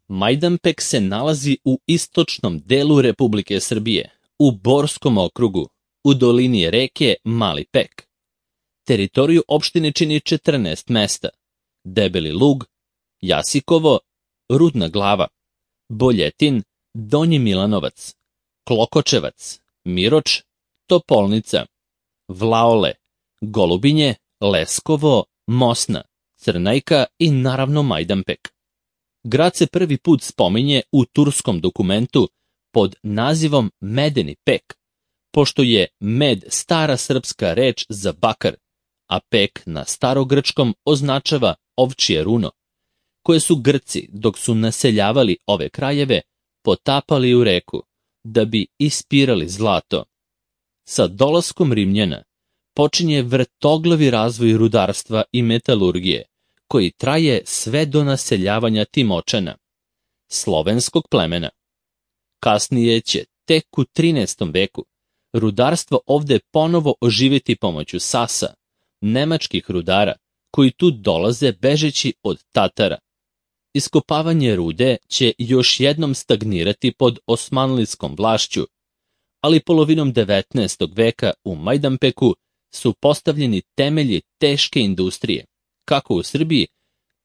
Majdanpek se nalazi u istočnom delu Republike Srbije, u Borskom okrugu, u dolini reke Mali Pek. Teritoriju opštine čini 14 mesta: Debeli Lug, Jasikovo, Rudna Glava, Boljetin, Donji Milanovac, Klokočevac, Miroč, Topolnica, Vlaole, Golubinje, Leskovo, Mosna, Crnajka i naravno Majdanpek. Grad se prvi put spominje u turskom dokumentu pod nazivom Medeni Pek, pošto je med stara srpska reč za bakar, a pek na starogrčkom označava ovčje runo, koje su Grci, dok su naseljavali ove krajeve, potapali u reku da bi ispirali zlato. Sa dolaskom Rimljana počinje vrtoglavi razvoj rudarstva i metalurgije, koji traje sve do naseljavanja Timočana, slovenskog plemena. Kasnije će, tek u 13. veku, rudarstvo ovde ponovo oživjeti pomoću Sasa, nemačkih rudara, koji tu dolaze bežeći od Tatara. Iskopavanje rude će još jednom stagnirati pod osmanlijskom vlašću, ali polovinom 19. veka u Majdanpeku su postavljeni temelji teške industrije, kako u Srbiji,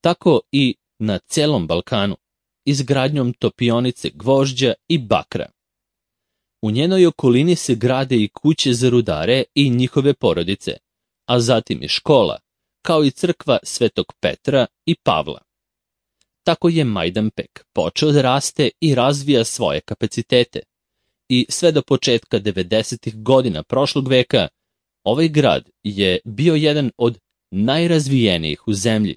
tako i na celom Balkanu, izgradnjom topionice gvožđa i bakra. U njenoj okolini se grade i kuće za rudare i njihove porodice, a zatim i škola, kao i crkva Svetog Petra i Pavla. Tako je Majdanpek počeo da raste i razvija svoje kapacitete, i sve do početka 90. godina prošlog veka ovaj grad je bio jedan od najrazvijenijih u zemlji.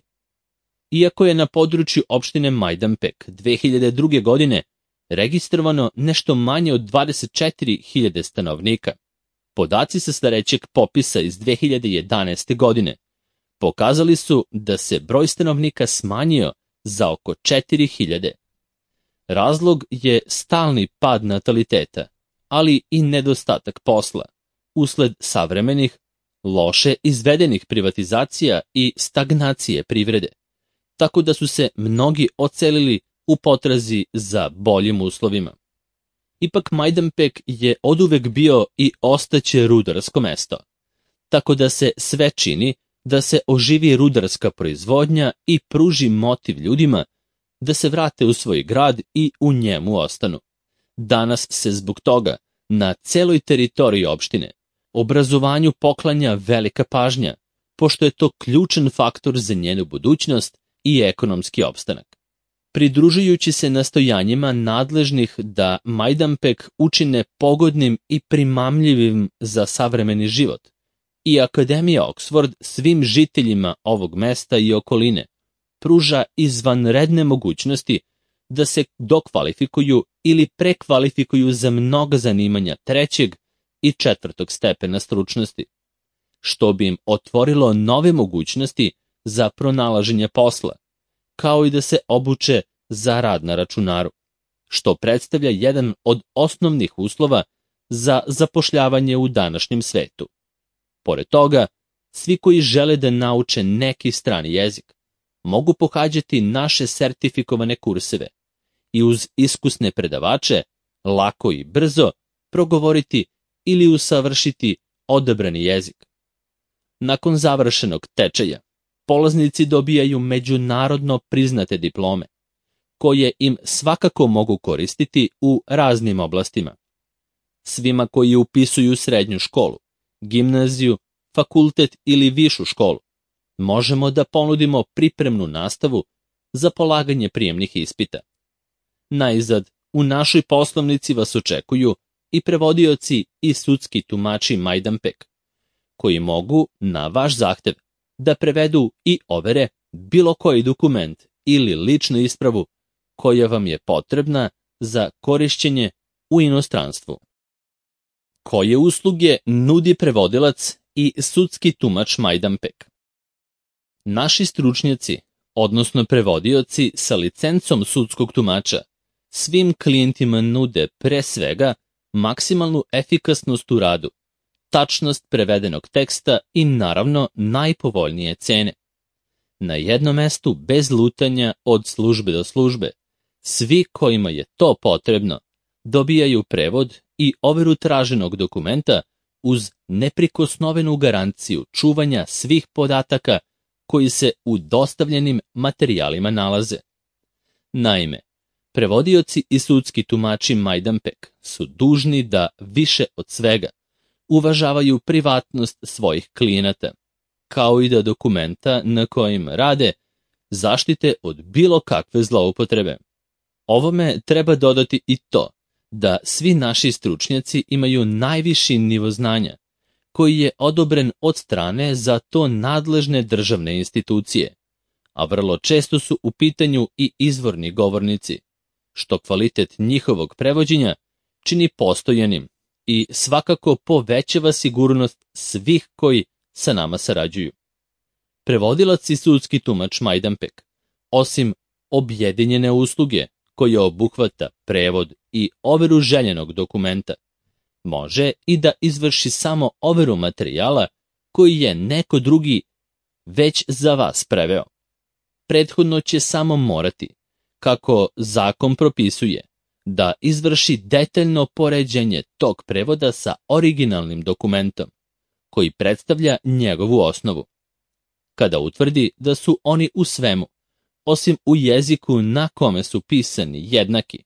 Iako je na području opštine Majdanpek 2002. godine registrovano nešto manje od 24.000 stanovnika, podaci sa starećeg popisa iz 2011. godine pokazali su da se broj stanovnika smanjio za oko 4.000. Razlog je stalni pad nataliteta, ali i nedostatak posla, usled savremenih, loše izvedenih privatizacija i stagnacije privrede, tako da su se mnogi odselili u potrazi za boljim uslovima. Ipak Majdanpek je oduvek bio i ostaće rudarsko mesto, tako da se sve čini da se oživi rudarska proizvodnja i pruži motiv ljudima da se vrate u svoj grad i u njemu ostanu. Danas se zbog toga na celoj teritoriji opštine obrazovanju poklanja velika pažnja, pošto je to ključan faktor za njenu budućnost i ekonomski opstanak. Pridružujući se nastojanjima nadležnih da Majdanpek učine pogodnim i primamljivim za savremeni život, i Akademija Oxford svim žiteljima ovog mesta i okoline pruža izvanredne mogućnosti da se dokvalifikuju ili prekvalifikuju za mnoga zanimanja 3. i 4. stepena stručnosti, što bi im otvorilo nove mogućnosti za pronalaženje posla, kao i da se obuče za rad na računaru, što predstavlja jedan od osnovnih uslova za zapošljavanje u današnjem svetu. Pored toga, svi koji žele da nauče neki strani jezik mogu pohađati naše sertifikovane kurseve i uz iskusne predavače lako i brzo progovoriti ili usavršiti odabrani jezik. Nakon završenog tečaja, polaznici dobijaju međunarodno priznate diplome, koje im svakako mogu koristiti u raznim oblastima. Svima koji upisuju srednju školu, gimnaziju, fakultet ili višu školu, možemo da ponudimo pripremnu nastavu za polaganje prijemnih ispita. Najzad, u našoj poslovnici vas očekuju i prevodioci i sudski tumači Majdanpek, koji mogu, na vaš zahtev, da prevedu i overe bilo koji dokument ili ličnu ispravu koja vam je potrebna za korišćenje u inostranstvu. Koje usluge nudi prevodilac i sudski tumač Majdanpek? Naši stručnjaci, odnosno prevodioci sa licencom sudskog tumača, svim klijentima nude pre svega maksimalnu efikasnost u radu, tačnost prevedenog teksta i naravno najpovoljnije cene. Na jednom mestu bez lutanja od službe do službe, Svi kojima je to potrebno dobijaju prevod i overu traženog dokumenta uz neprikosnovenu garanciju čuvanja svih podataka koji se u dostavljenim materijalima nalaze. Naime, prevodioci i sudski tumači Majdanpek su dužni da više od svega uvažavaju privatnost svojih klijenata, kao i da dokumenta na kojim rade zaštite od bilo kakve zloupotrebe. Ovome treba dodati i to da svi naši stručnjaci imaju najviši nivo znanja, koji je odobren od strane za to nadležne državne institucije, a vrlo često su u pitanju i izvorni govornici, što kvalitet njihovog prevođenja čini postojanim i svakako povećava sigurnost svih koji sa nama sarađuju. Prevodilac i sudski tumač Majdanpek, osim objedinjene usluge koja obuhvata prevod i overu željenog dokumenta, može i da izvrši samo overu materijala koji je neko drugi već za vas preveo. Prethodno će samo morati, kako zakon propisuje, da izvrši detaljno poređenje tog prevoda sa originalnim dokumentom, koji predstavlja njegovu osnovu. Kada utvrdi da su oni u svemu, osim u jeziku na kome su pisani jednaki,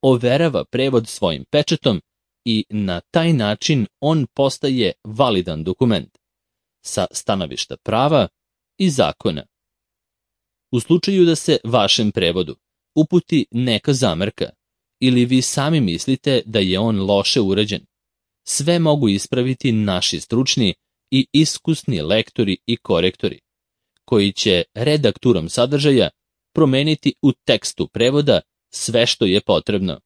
overava prevod svojim pečatom i na taj način on postaje validan dokument sa stanovišta prava i zakona. U slučaju da se vašem prevodu uputi neka zamerka ili vi sami mislite da je on loše urađen, sve mogu ispraviti naši stručni i iskusni lektori i korektori, koji će redakturom sadržaja promeniti u tekstu prevoda sve što je potrebno,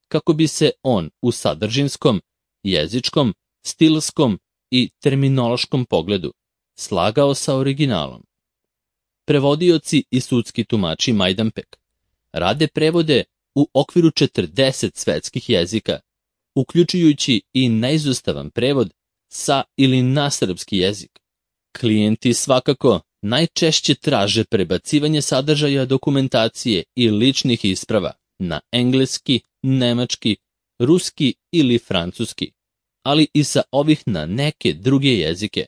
kako bi se on u sadržinskom, jezičkom, stilskom i terminološkom pogledu slagao sa originalom. Prevodioci i sudski tumači Majdanpek rade prevode u okviru 40 svetskih jezika, uključujući i neizostavan prevod sa ili na srpski jezik. Klijenti svakako najčešće traže prebacivanje sadržaja dokumentacije i ličnih isprava na engleski, nemački, ruski ili francuski, ali i sa ovih na neke druge jezike.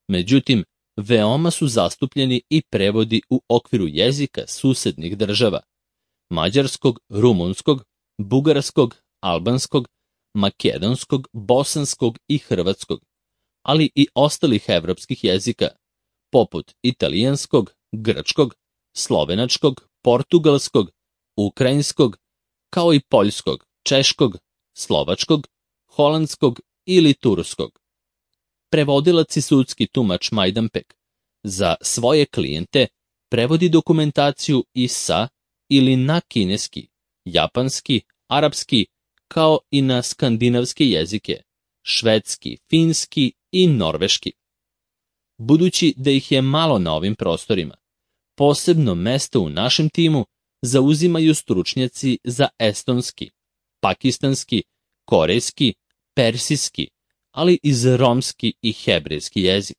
Međutim, veoma su zastupljeni i prevodi u okviru jezika susednih država: mađarskog, rumunskog, bugarskog, albanskog, makedonskog, bosanskog i hrvatskog, ali i ostalih evropskih jezika, poput italijanskog, grčkog, slovenačkog, portugalskog, ukrajinskog, kao i poljskog, češkog, slovačkog, holandskog ili turskog. Prevodilac i sudski tumač Majdanpek za svoje klijente prevodi dokumentaciju i sa ili na kineski, japanski, arapski, kao i na skandinavske jezike, švedski, finski i norveški. Budući da ih je malo na ovim prostorima, posebno mesto u našem timu zauzimaju stručnjaci za estonski, pakistanski, korejski, persijski, ali i za romski i hebrejski jezik.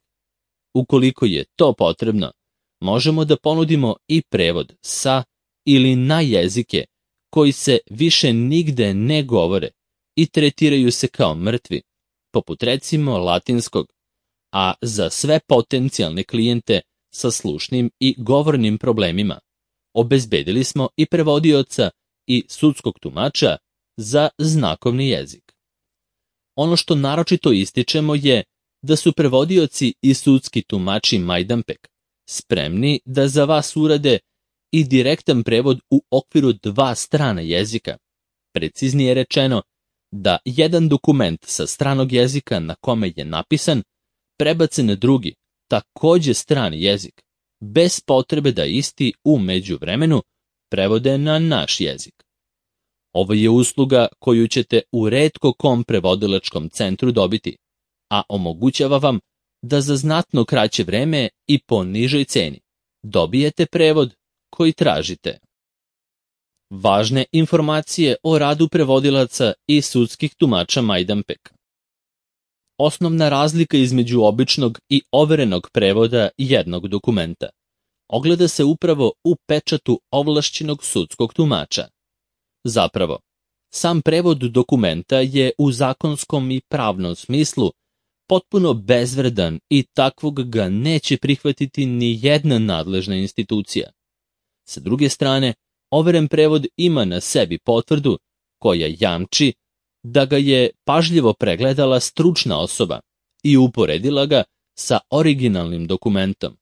Ukoliko je to potrebno, možemo da ponudimo i prevod sa ili na jezike koji se više nigde ne govore i tretiraju se kao mrtvi, poput recimo latinskog, a za sve potencijalne klijente sa slušnim i govornim problemima obezbedili smo i prevodioca i sudskog tumača za znakovni jezik. Ono što naročito ističemo je da su prevodioci i sudski tumači Majdanpek spremni da za vas urade i direktan prevod u okviru 2 strana jezika. Preciznije rečeno, da jedan dokument sa stranog jezika na kome je napisan prebace na drugi, takođe strani jezik, bez potrebe da isti u međuvremenu prevode na naš jezik. Ovo je usluga koju ćete u retko kom prevodilačkom centru dobiti, a omogućava vam da za znatno kraće vreme i po nižoj ceni dobijete prevod koji tražite. Važne informacije o radu prevodilaca i sudskih tumača Majdanpek. Osnovna razlika između običnog i overenog prevoda jednog dokumenta ogleda se upravo u pečatu ovlašćenog sudskog tumača. Zapravo, sam prevod dokumenta je u zakonskom i pravnom smislu potpuno bezvredan i takvog ga neće prihvatiti ni jedna nadležna institucija. Sa druge strane, overen prevod ima na sebi potvrdu koja jamči da ga je pažljivo pregledala stručna osoba i uporedila ga sa originalnim dokumentom.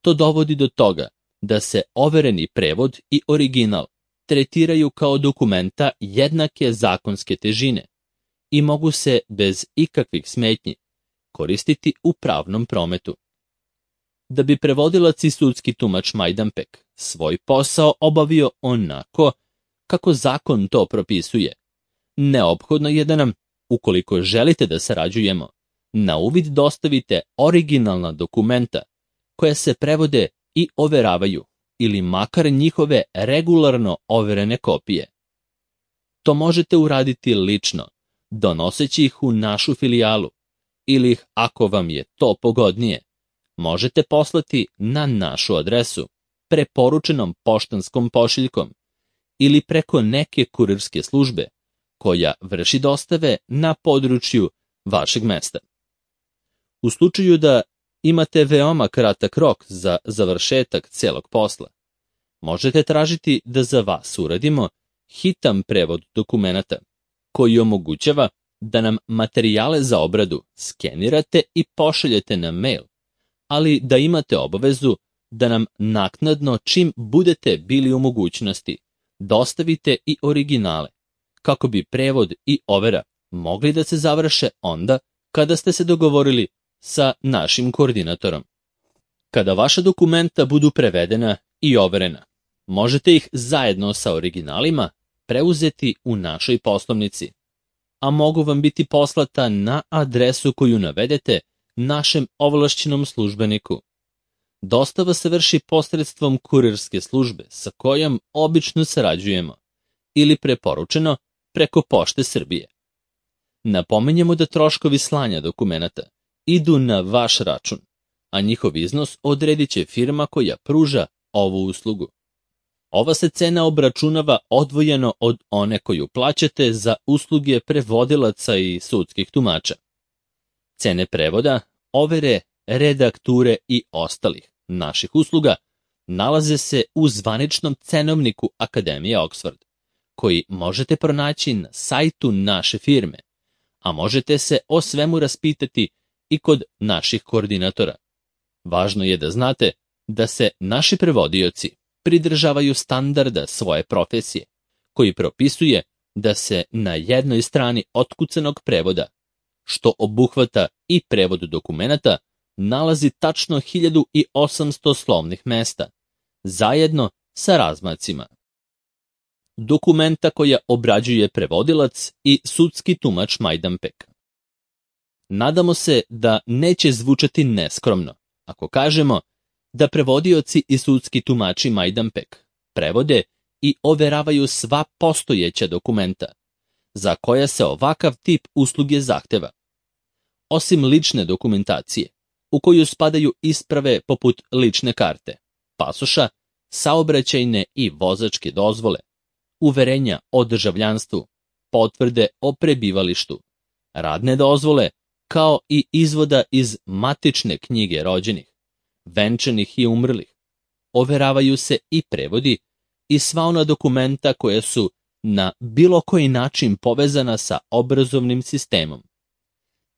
To dovodi do toga da se overeni prevod i original tretiraju kao dokumenta jednake zakonske težine i mogu se bez ikakvih smetnji koristiti u pravnom prometu. Da bi prevodilac i sudski tumač Majdanpek svoj posao obavio onako kako zakon to propisuje, neophodno je da nam, ukoliko želite da sarađujemo, na uvid dostavite originalna dokumenta koja se prevode i overavaju ili makar njihove regularno overene kopije. To možete uraditi lično, donoseći ih u našu filijalu ili ih, ako vam je to pogodnije, možete poslati na našu adresu preporučenom poštanskom pošiljkom ili preko neke kurirske službe koja vrši dostave na području vašeg mesta. U slučaju da imate veoma kratak rok za završetak celog posla, možete tražiti da za vas uradimo hitan prevod dokumenata koji omogućava da nam materijale za obradu skenirate i pošaljete na mail, ali da imate obavezu da nam naknadno, čim budete bili u mogućnosti, dostavite i originale, kako bi prevod i overa mogli da se završe onda kada ste se dogovorili sa našim koordinatorom. Kada vaša dokumenta budu prevedena i overena, možete ih zajedno sa originalima preuzeti u našoj poslovnici, a mogu vam biti poslata na adresu koju navedete našem ovlašćenom službeniku. Dostava se vrši posredstvom kurirske službe sa kojom obično sarađujemo ili preporučeno preko Pošte Srbije. Napominjemo da troškovi slanja dokumenata idu na vaš račun, a njihov iznos odredit će firma koja pruža ovu uslugu. Ova se cena obračunava odvojeno od one koju plaćate za usluge prevodilaca i sudskih tumača. Cene prevoda, overe, redakture i ostalih naših usluga nalaze se u zvaničnom cenovniku Akademije Oxford, koji možete pronaći na sajtu naše firme, a možete se o svemu raspitati i kod naših koordinatora. Važno je da znate da se naši prevodioci pridržavaju standarda svoje profesije, koji propisuje da se na jednoj strani otkucanog prevoda, što obuhvata i prevod dokumenata, nalazi tačno 1800 slovnih mesta, zajedno sa razmacima. Dokumenta koja obrađuje prevodilac i sudski tumač Majdanpek. Nadamo se da neće zvučati neskromno ako kažemo da prevodioci i sudski tumači Majdanpek prevode i overavaju sva postojeća dokumenta za koja se ovakav tip usluge zahteva. Osim lične dokumentacije, u koju spadaju isprave poput lične karte, pasoša, saobraćajne i vozačke dozvole, uverenja o državljanstvu, potvrde o prebivalištu, radne dozvole, kao i izvoda iz matične knjige rođenih, venčanih i umrlih. Overavaju se i prevodi i sva ona dokumenta koja su na bilo koji način povezana sa obrazovnim sistemom.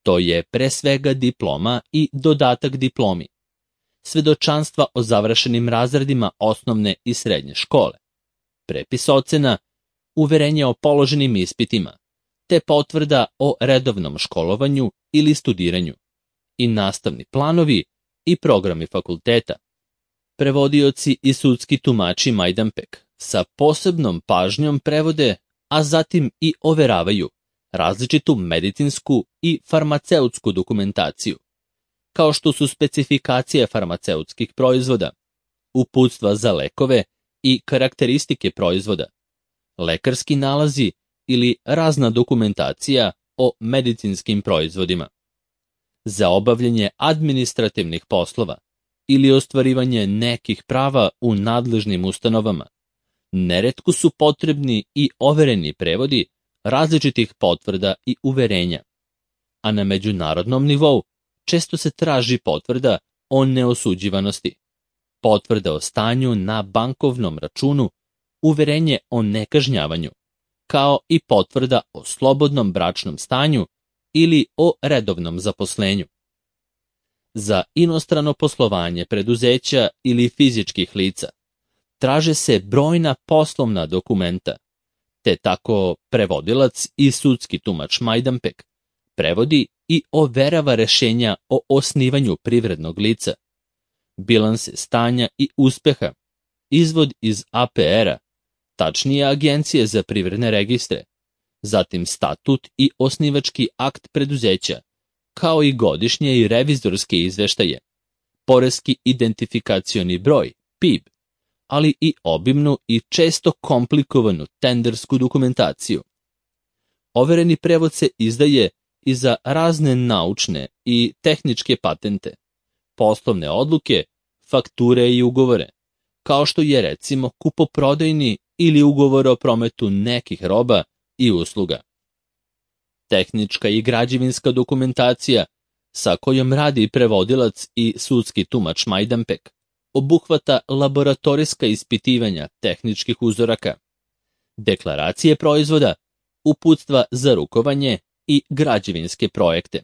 To je pre svega diploma i dodatak diplomi, svedočanstva o završenim razredima osnovne i srednje škole, prepis ocena, uverenje o položenim ispitima, te potvrda o redovnom školovanju ili studiranju, i nastavni planovi i programi fakulteta. Prevodioci i sudski tumači Majdanpek sa posebnom pažnjom prevode, a zatim i overavaju različitu medicinsku i farmaceutsku dokumentaciju, kao što su specifikacije farmaceutskih proizvoda, uputstva za lekove i karakteristike proizvoda, lekarski nalazi ili razna dokumentacija o medicinskim proizvodima. Za obavljanje administrativnih poslova ili ostvarivanje nekih prava u nadležnim ustanovama, Neretko su potrebni i overeni prevodi različitih potvrda i uverenja, a na međunarodnom nivou često se traži potvrda o neosuđivanosti, potvrda o stanju na bankovnom računu, uverenje o nekažnjavanju, kao i potvrda o slobodnom bračnom stanju ili o redovnom zaposlenju. Za inostrano poslovanje preduzeća ili fizičkih lica traže se brojna poslovna dokumenta, te tako prevodilac i sudski tumač Majdanpek prevodi i overava rešenja o osnivanju privrednog lica, bilanse stanja i uspeha, izvod iz APR-a, tačnije Agencije za privredne registre, zatim statut i osnivački akt preduzeća, kao i godišnje i revizorske izveštaje, poreski identifikacioni broj, PIB, ali i obimnu i često komplikovanu tendersku dokumentaciju. Overeni prevod se izdaje i za razne naučne i tehničke patente, poslovne odluke, fakture i ugovore, kao što je recimo kupoprodajni ili ugovor o prometu nekih roba i usluga. Tehnička i građevinska dokumentacija sa kojom radi prevodilac i sudski tumač Majdanpek obuhvata laboratorijska ispitivanja tehničkih uzoraka, deklaracije proizvoda, uputstva za rukovanje i građevinske projekte.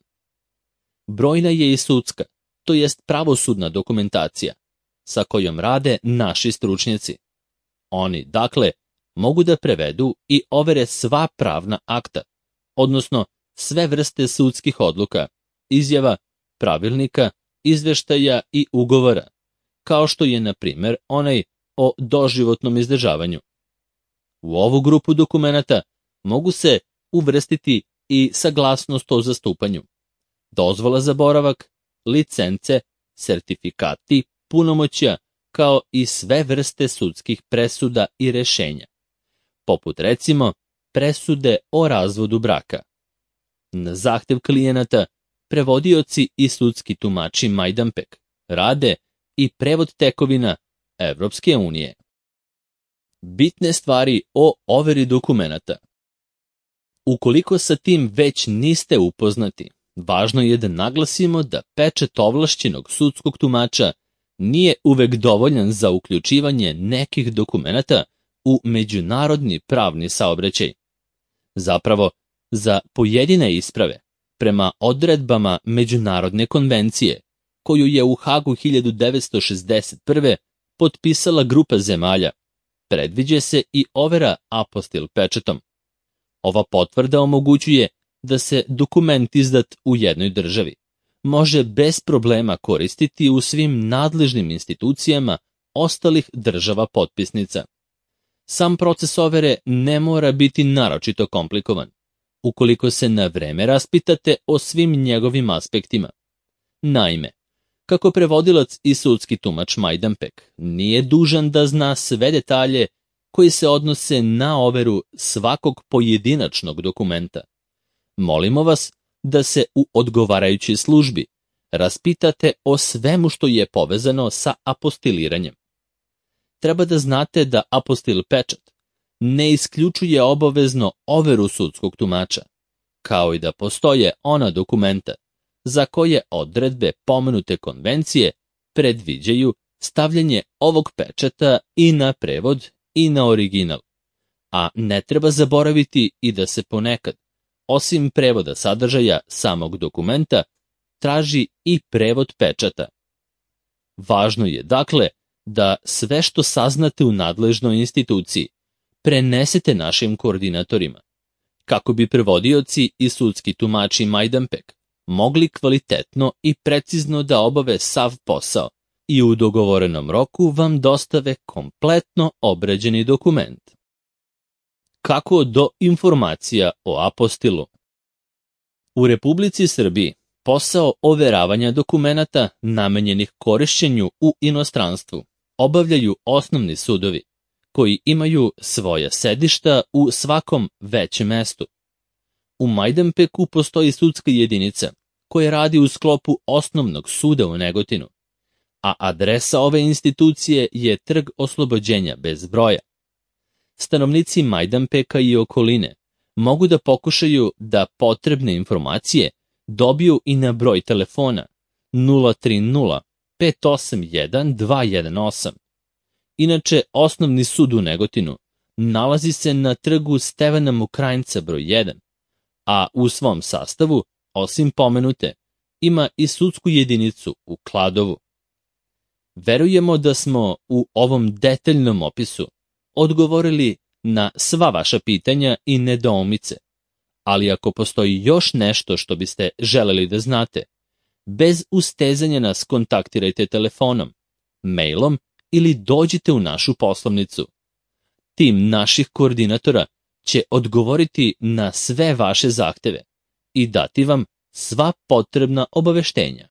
Brojna je i sudska, to jest pravosudna dokumentacija, sa kojom rade naši stručnjaci. Oni, dakle, mogu da prevedu i overe sva pravna akta, odnosno sve vrste sudskih odluka, izjava, pravilnika, izveštaja i ugovora, kao što je, na primjer, onaj o doživotnom izdržavanju. U ovu grupu dokumenata mogu se uvrstiti i saglasnost o zastupanju, dozvola za boravak, licence, sertifikati, punomoćja, kao i sve vrste sudskih presuda i rešenja, poput recimo presude o razvodu braka. Na zahtev klijenata, prevodioci i sudski tumači Majdanpek rade i prevod tekovina Evropske unije. Bitne stvari o overi dokumenata. Ukoliko sa tim već niste upoznati, važno je da naglasimo da pečat ovlašćenog sudskog tumača nije uvek dovoljan za uključivanje nekih dokumenata u međunarodni pravni saobraćaj. Zapravo, za pojedine isprave, prema odredbama Međunarodne konvencije, koju je u Hagu 1961. potpisala grupa zemalja, predviđa se i overa apostil pečatom. Ova potvrda omogućuje da se dokument izdat u jednoj državi može bez problema koristiti u svim nadležnim institucijama ostalih država potpisnica. Sam proces overe ne mora biti naročito komplikovan, ukoliko se na vreme raspitate o svim njegovim aspektima. Naime, kako prevodilac i sudski tumač Majdanpek nije dužan da zna sve detalje koji se odnose na overu svakog pojedinačnog dokumenta, molimo vas da se u odgovarajućoj službi raspitate o svemu što je povezano sa apostiliranjem. Treba da znate da apostil pečat ne isključuje obavezno overu sudskog tumača, kao i da postoje ona dokumenta za koje odredbe pomenute konvencije predviđaju stavljanje ovog pečata i na prevod i na original, a ne treba zaboraviti i da se ponekad, osim prevoda sadržaja samog dokumenta, traži i prevod pečata. Važno je, dakle, da sve što saznate u nadležnoj instituciji prenesete našim koordinatorima, kako bi prevodioci i sudski tumači Majdanpek mogli kvalitetno i precizno da obave sav posao i u dogovorenom roku vam dostave kompletno obrađeni dokument. Kako do informacija o apostilu? U Republici Srbiji posao overavanja dokumenata namenjenih korišćenju u inostranstvu obavljaju osnovni sudovi, koji imaju svoja sedišta u svakom većem mestu. U Majdanpeku postoji sudska jedinica koja radi u sklopu osnovnog suda u Negotinu, a adresa ove institucije je Trg Oslobođenja bez broja. stanovnici Majdanpeka i okoline mogu da pokušaju da potrebne informacije dobiju i na broj telefona 030 581 218. Inače, osnovni sud u Negotinu nalazi se na trgu Stevana Mokrajnca broj 1, a u svom sastavu, osim pomenute, ima i sudsku jedinicu u Kladovu. Verujemo da smo u ovom detaljnom opisu odgovorili na sva vaša pitanja i nedoumice, ali ako postoji još nešto što biste želeli da znate, bez ustezanja nas kontaktirajte telefonom, mailom ili dođite u našu poslovnicu. Tim naših koordinatora će odgovoriti na sve vaše zahteve i dati vam sva potrebna obaveštenja.